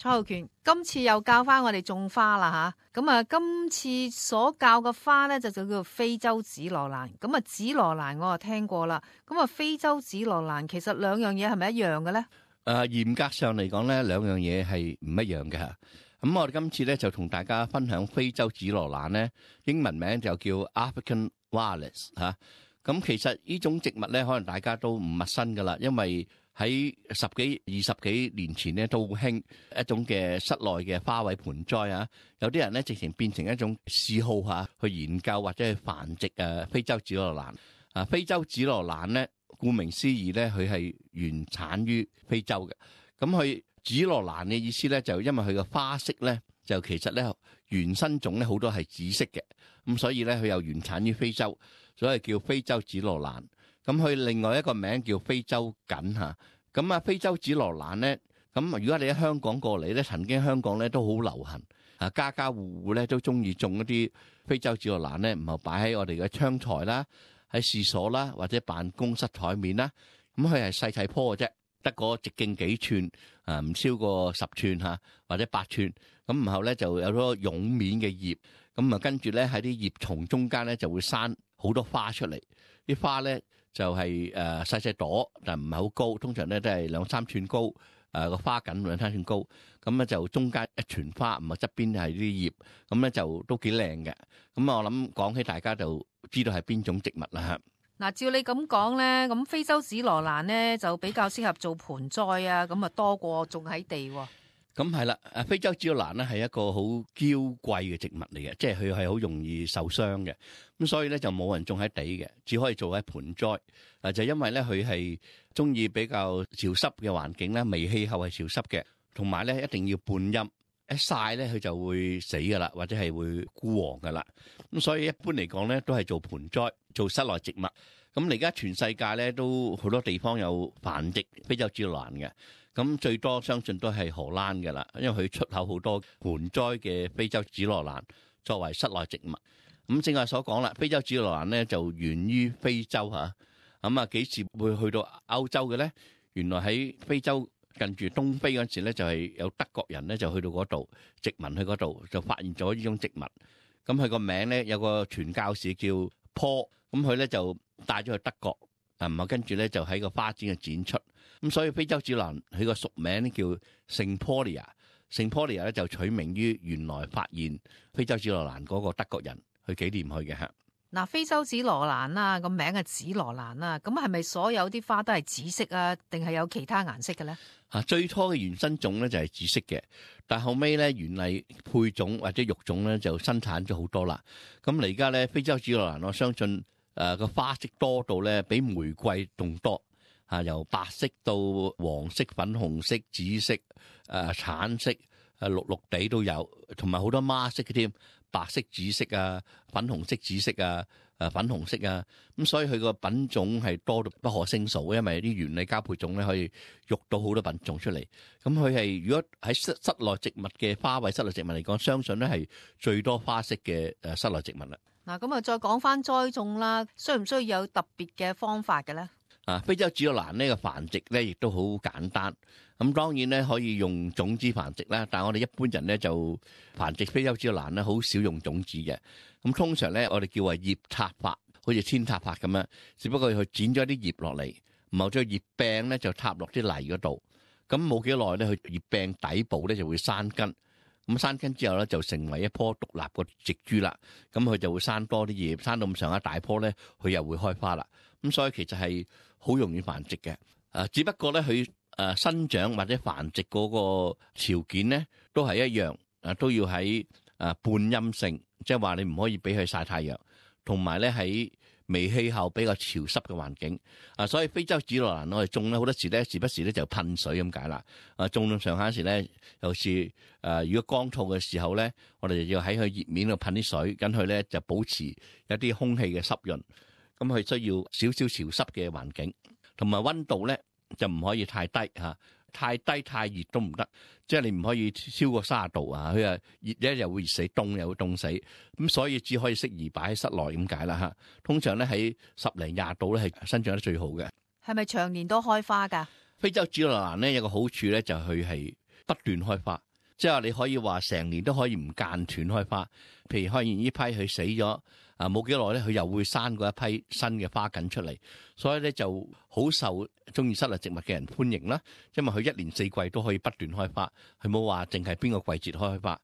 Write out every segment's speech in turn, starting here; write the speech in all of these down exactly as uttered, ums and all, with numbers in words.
蔡浩權，今次又教翻我哋種花啦吓，咁啊今次所教嘅花咧就就叫做非洲紫羅蘭，咁啊紫羅蘭我啊聽過啦，咁啊非洲紫羅蘭其實兩樣嘢係咪一樣嘅咧？誒，嚴格上嚟講咧，兩樣嘢係唔一樣嘅吓。咁我哋今次咧就同大家分享非洲紫羅蘭咧，英文名就叫 African Violet 吓。咁其實呢種植物咧，可能大家都唔陌生噶啦，因為喺十幾、二十幾年前咧，都好興一種嘅室內嘅花卉盆栽啊。有啲人咧，直情變成一種嗜好嚇，去研究或者去繁殖誒非洲紫羅蘭。啊，非洲紫羅蘭咧，顧名思義咧，佢係原產於非洲嘅。咁佢紫羅蘭嘅意思咧，就因為佢嘅花色咧，就其實咧原生種咧好多係紫色嘅。咁所以咧，佢又原產於非洲，所以叫非洲紫羅蘭。咁佢另外一個名叫非洲堇嚇，咁啊非洲紫羅蘭咧，咁如果你喺香港過嚟咧，曾經香港咧都好流行，啊家家戶戶咧都中意種一啲非洲紫羅蘭咧，唔係擺喺我哋嘅窗台啦，喺廁所啦，或者辦公室台面啦，咁佢係細細棵嘅啫，得個直徑幾寸，啊唔超過十寸嚇，或者八寸，咁然後咧就有咗絨面嘅葉，咁啊跟住咧喺啲葉叢中間咧就會生好多花出嚟，啲花咧就係誒細細朵，但唔係好高，通常咧都係兩三寸高，誒、呃、個花梗兩三寸高，咁咧就中間一團花，唔係側邊係啲葉，咁咧就都幾靚嘅。咁我諗講起大家就知道係邊種植物啦嚇。嗱，照你咁講咧，咁非洲紫羅蘭咧就比較適合做盆栽啊，咁啊多過種喺地喎。咁係啦，誒非洲紫羅蘭咧係一個好嬌貴嘅植物嚟嘅，即係佢係好容易受傷嘅，咁所以咧就冇人種喺地嘅，只可以做喺盆栽。誒就因為咧佢係中意比較潮濕嘅環境啦，微氣候係潮濕嘅，同埋咧一定要半陰，一曬咧佢就會死噶啦，或者係會枯黃噶啦。咁所以一般嚟講咧都係做盆栽，做室內植物。咁而家全世界咧都好多地方有繁殖非洲紫羅蘭嘅。咁最多相信都係荷蘭嘅啦，因為佢出口好多盆栽嘅非洲紫羅蘭作為室內植物。咁正話所講啦，非洲紫羅蘭咧就源於非洲嚇，咁啊幾時會去到歐洲嘅咧？原來喺非洲近住東非嗰陣時咧，就係有德國人咧就去到嗰度殖民去嗰度，就發現咗呢種植物。咁佢個名咧有個傳教士叫 Paul，咁佢咧就帶咗去德國。啊，唔係跟住咧就喺個花展嘅展出，咁所以非洲紫羅蘭佢個俗名咧叫聖波利亞，聖波利亞咧就取名於原來發現非洲紫羅蘭嗰個德國人去紀念佢嘅嚇。嗱，非洲紫羅蘭啦，個名係紫羅蘭啦，咁係咪所有啲花都係紫色啊？定係有其他顏色嘅咧？啊，最初嘅原生種咧就係紫色嘅，但後尾咧原嚟配種或者育種咧就生產咗好多啦。咁嚟而家咧非洲紫羅蘭，我相信。誒個、呃、花色多到咧，比玫瑰仲多嚇、啊，由白色到黃色、粉紅色、紫色、誒、呃、橙色、誒、呃、綠綠地都有，同埋好多孖色嘅添，白色、紫色啊、粉紅色、紫色啊、誒、呃、粉紅色啊，咁所以佢個品種係多到不可勝數，因為啲原理交配種咧可以育到好多品種出嚟。咁佢係如果喺室室內植物嘅花卉室內植物嚟講，相信咧係最多花色嘅誒室內植物啦。嗱，咁啊，再講翻栽種啦，需唔需要有特別嘅方法嘅咧？啊，非洲紫羅蘭呢個繁殖咧，亦都好簡單。咁當然咧可以用種子繁殖啦，但係我哋一般人咧就繁殖非洲紫羅蘭咧，好少用種子嘅。咁通常咧，我哋叫為葉插法，好似扦插法咁樣，只不過佢剪咗啲葉落嚟，然後將葉柄咧就插落啲泥嗰度。咁冇幾耐咧，佢葉柄底部咧就會生根。咁生根之後咧，就成為一棵獨立個植株啦。咁佢就會生多啲葉，生到咁上下大棵咧，佢又會開花啦。咁所以其實係好容易繁殖嘅。誒，只不過咧佢誒生長或者繁殖嗰個條件咧，都係一樣。誒，都要喺誒半陰性，即係話你唔可以俾佢曬太陽，同埋咧喺微氣候比較潮濕嘅環境。啊，所以非洲紫羅蘭我哋種咧好多時咧，時不時咧就噴水咁解啦。啊，種到上下時咧，有時誒如果乾燥嘅時候咧，我哋就要喺佢葉面度噴啲水，咁佢咧就保持一啲空氣嘅濕潤。咁佢需要少少潮濕嘅環境，同埋溫度咧就唔可以太低嚇，太低太熱都唔得，即係你唔可以超過三十度啊！佢啊熱咧又會熱死，凍又會凍死，咁所以只可以適宜擺喺室內咁解啦嚇。通常咧喺十零廿度咧係生長得最好嘅。係咪長年都開花㗎？非洲紫羅蘭咧有個好處咧就係佢係不斷開花，即係話你可以話成年都可以唔間斷開花。譬如開完呢批佢死咗啊，冇幾耐咧，佢又會生過一批新嘅花緊出嚟，所以咧就好受中意室內植物嘅人歡迎啦。因為佢一年四季都可以不斷開花，佢冇話淨係邊個季節開花。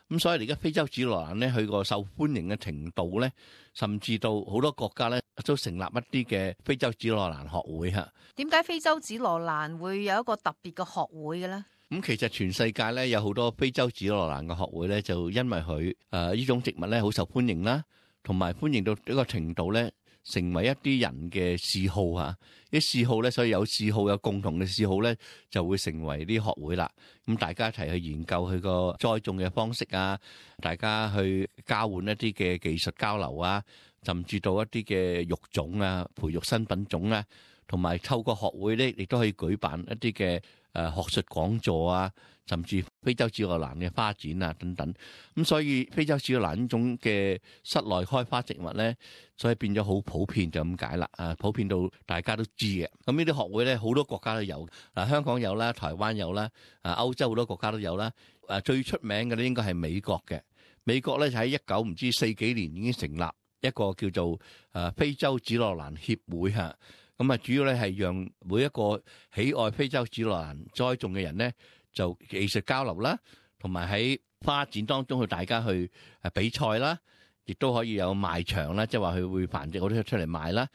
咁所以而家非洲紫羅蘭咧，佢個受歡迎嘅程度咧，甚至到好多國家咧都成立一啲嘅非洲紫羅蘭學會嚇。點解非洲紫羅蘭會有一個特別嘅學會嘅咧？咁其實全世界咧有好多非洲紫羅蘭嘅學會咧，就因為佢誒呢種植物咧好受歡迎啦，同埋歡迎到一個程度咧，成為一啲人嘅嗜好嚇。啲嗜好咧，所以有嗜好有共同嘅嗜好咧，就會成為啲學會啦。咁大家一齊去研究佢個栽種嘅方式啊，大家去交換一啲嘅技術交流啊，甚至到一啲嘅育種啊，培育新品種啊，同埋透過學會咧，亦都可以舉辦一啲嘅誒學術講座啊，甚至非洲紫羅蘭嘅花展啊等等。咁所以非洲紫羅蘭呢種嘅室內開花植物咧，所以變咗好普遍就咁解啦。啊，普遍到大家都知嘅。咁呢啲學會咧，好多國家都有。嗱，香港有啦，台灣有啦，啊歐洲好多國家都有啦。誒最出名嘅咧，應該係美國嘅。美國咧就喺一九唔知四幾年已經成立一個叫做誒非洲紫羅蘭協會嚇。咁啊，主要咧係讓每一個喜愛非洲紫羅蘭栽種嘅人咧，就技術交流啦，同埋喺花展當中去大家去誒比賽啦，亦都可以有賣場啦，即係話佢會繁殖好多出嚟賣啦。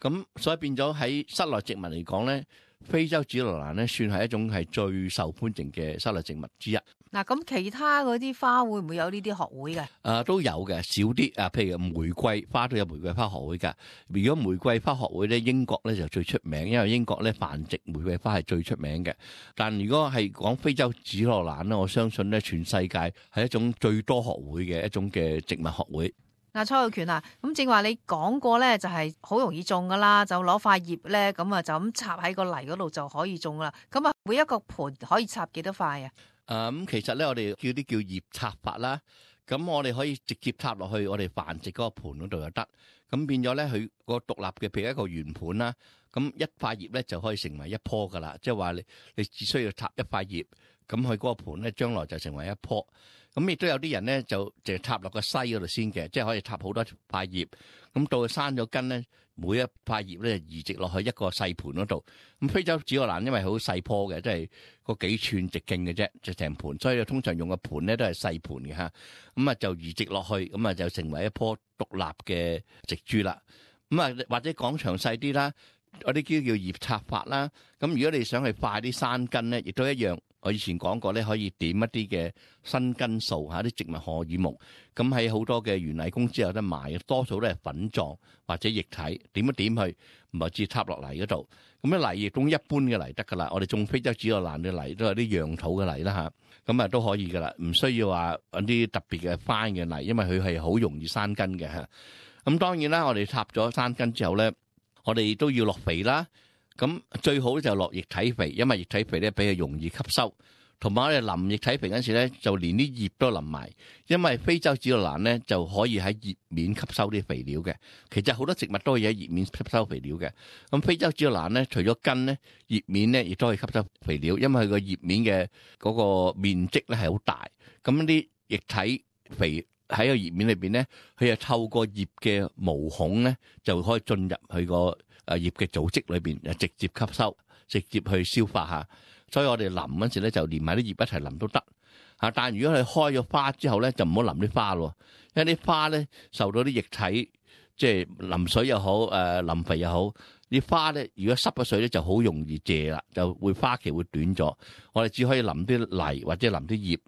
咁所以變咗喺室內植物嚟講咧，非洲紫羅蘭咧算係一種係最受歡迎嘅室內植物之一。嗱，咁其他嗰啲花會唔會有呢啲學會嘅？啊，都有嘅，少啲啊。譬如玫瑰花都有玫瑰花學會㗎。如果玫瑰花學會咧，英國咧就最出名，因為英國咧繁殖玫瑰花係最出名嘅。但如果係講非洲紫羅蘭咧，我相信咧全世界係一種最多學會嘅一種嘅植物學會。嗱，蔡浩權啊，咁正話你講過咧，就係好容易種噶啦，就攞塊葉咧，咁啊就咁插喺個泥嗰度就可以種啦。咁啊，每一個盆可以插幾多塊啊？誒、嗯，咁其實咧，我哋叫啲叫葉插法啦。咁我哋可以直接插落去我哋繁殖嗰個盆嗰度就得。咁變咗咧，佢個獨立嘅，譬如一個圓盤啦，咁一塊葉咧就可以成為一棵噶啦。即係話你你只需要插一塊葉，咁佢嗰個盆咧將來就成為一棵。咁亦都有啲人咧就淨係插落個篩嗰度先嘅，即係可以插好多塊葉。咁到佢生咗根咧，每一塊葉咧移植落去一個細盤嗰度。咁非洲紫羅蘭因為好細棵嘅，即係個幾寸直徑嘅啫，就成盤，所以通常用個盤咧都係細盤嘅嚇。咁啊就移植落去，咁啊就成為一棵獨立嘅植株啦。咁啊或者講詳細啲啦，嗰啲叫叫葉插法啦。咁如果你想去快啲生根咧，亦都一樣。我以前講過咧，可以點一啲嘅新根素嚇，啲植物荷爾蒙，咁喺好多嘅園藝公司有得賣嘅，多數都係粉狀或者液體，點一點去，唔係直接插落泥嗰度。咁咧泥亦種一般嘅泥得噶啦，我哋種非洲紫羅蘭嘅泥都係啲樣土嘅泥啦嚇，咁啊都可以噶啦，唔需要話揾啲特別嘅 fine 嘅泥，因為佢係好容易生根嘅嚇。咁當然啦，我哋插咗生根之後咧，我哋都要落肥啦。咁最好就落液體肥，因為液體肥咧比較容易吸收，同埋我哋淋液體肥嗰陣時咧，就連啲葉都淋埋，因為非洲紫羅蘭咧就可以喺葉面吸收啲肥料嘅。其實好多植物都可以喺葉面吸收肥料嘅。咁非洲紫羅蘭咧，除咗根咧，葉面咧亦都可以吸收肥料，因為佢個葉面嘅嗰個面積咧係好大。咁啲液體肥喺個葉面裏邊咧，佢就透過葉嘅毛孔咧，就可以進入佢個誒葉嘅組織裏邊，誒直接吸收，直接去消化下。所以我哋淋嗰時咧，就連埋啲葉一齊淋都得嚇。但係如果佢開咗花之後咧，就唔好淋啲花咯，因為啲花咧受到啲液體，即係淋水又好，誒淋肥又好，啲花咧如果濕咗水咧，就好容易謝啦，就會花期會短咗。我哋只可以淋啲泥或者淋啲葉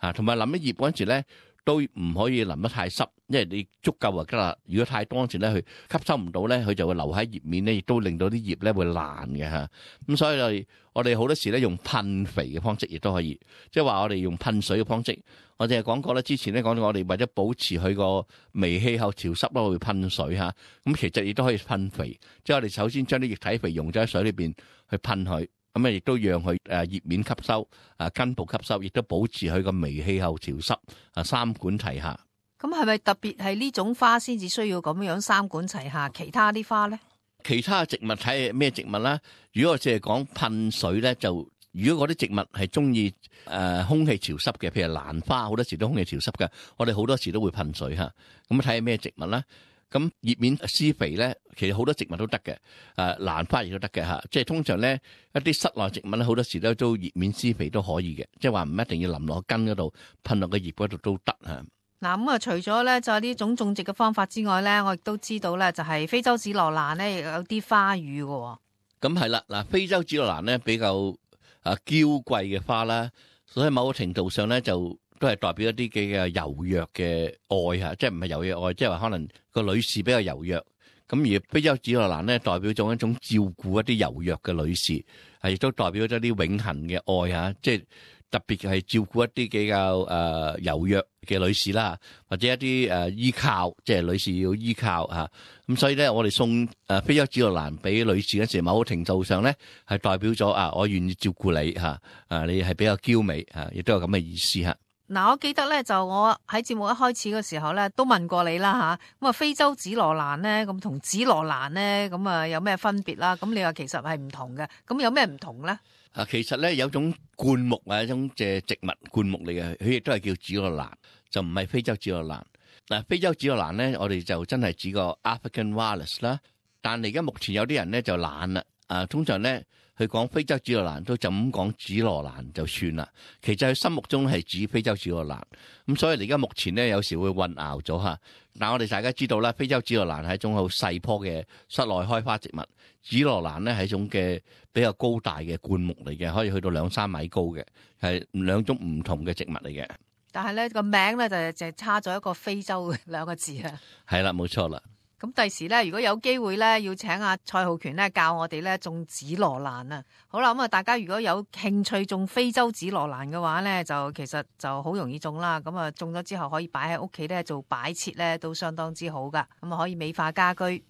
嚇，同埋淋啲葉嗰陣時咧，都唔可以淋得太濕，因為你足夠就得啦。如果太多嗰時咧，佢吸收唔到咧，佢就會留喺葉面咧，亦都令到啲葉咧會爛嘅嚇。咁所以我哋我哋好多時咧用噴肥嘅方式亦都可以，即係話我哋用噴水嘅方式。我哋係講過咧，之前咧講到我哋為咗保持佢個微氣候潮濕咯，會噴水嚇。咁其實亦都可以噴肥，即係我哋首先將啲液體肥溶咗喺水裏邊去噴佢。咁啊，亦都讓佢誒葉面吸收，啊根部吸收，亦都保持佢個微氣候潮濕，啊三管齊下。咁係咪特別係呢種花先至需要咁樣三管齊下？其他啲花咧？其他植物睇咩植物啦？如果我淨係講噴水咧，就如果嗰啲植物係中意誒空氣潮濕嘅，譬如蘭花，好多時都空氣潮濕嘅，我哋好多時都會噴水嚇。咁睇下咩植物啦。咁葉面施肥咧，其實好多植物都得嘅，誒蘭花亦都得嘅嚇。即係通常咧一啲室內植物咧，好多時咧都葉面施肥都可以嘅，即係話唔一定要淋落根嗰度，噴落個葉嗰度都得嚇。嗱咁啊，除咗咧就係呢種種植嘅方法之外咧，我亦都知道咧就係非洲紫羅蘭咧，亦有啲花語嘅。咁係啦，嗱非洲紫羅蘭咧比較啊嬌貴嘅花啦，所以某個程度上咧就都係代表一啲嘅柔弱嘅愛嚇，即係唔係柔弱愛，即係話可能個女士比較柔弱。咁而非洲紫羅蘭咧代表咗一種照顧一啲柔弱嘅女士，係亦都代表咗啲永恆嘅愛嚇，即係。特別係照顧一啲比較誒柔弱嘅女士啦，或者一啲誒依靠，即係女士要依靠嚇。咁所以咧，我哋送誒非洲紫羅蘭俾女士嗰時，某個程度上咧係代表咗啊，我願意照顧你嚇，啊你係比較嬌美嚇，亦都有咁嘅意思嚇。嗱，我記得咧就我喺節目一開始嘅時候咧都問過你啦嚇，咁啊非洲紫羅蘭咧咁同紫羅蘭咧咁啊有咩分別啦？咁你話其實係唔同嘅，咁有咩唔同咧？啊，其實咧有種灌木啊，一種嘅植物灌木嚟嘅，佢亦都係叫紫羅蘭，就唔係非洲紫羅蘭。嗱，非洲紫羅蘭咧，我哋就真係指個 African Violet 啦。但係而家目前有啲人咧就懶啦，啊，通常咧佢講非洲紫羅蘭都就咁講紫羅蘭就算啦。其實佢心目中係指非洲紫羅蘭，咁所以而家目前咧有時會混淆咗嚇。但我哋大家知道啦，非洲紫羅蘭係一種好細棵嘅室內開花植物，紫羅蘭咧係一種嘅比較高大嘅灌木嚟嘅，可以去到兩三米高嘅，係兩種唔同嘅植物嚟嘅。但係咧個名咧就就差咗一個非洲兩個字啊。係啦，冇錯啦。咁第時咧，如果有機會咧，要請阿蔡浩權咧教我哋咧種紫羅蘭啊。好啦，咁啊，大家如果有興趣種非洲紫羅蘭嘅話咧，就其實就好容易種啦。咁啊，種咗之後可以擺喺屋企咧做擺設咧，都相當之好噶。咁啊，可以美化家居。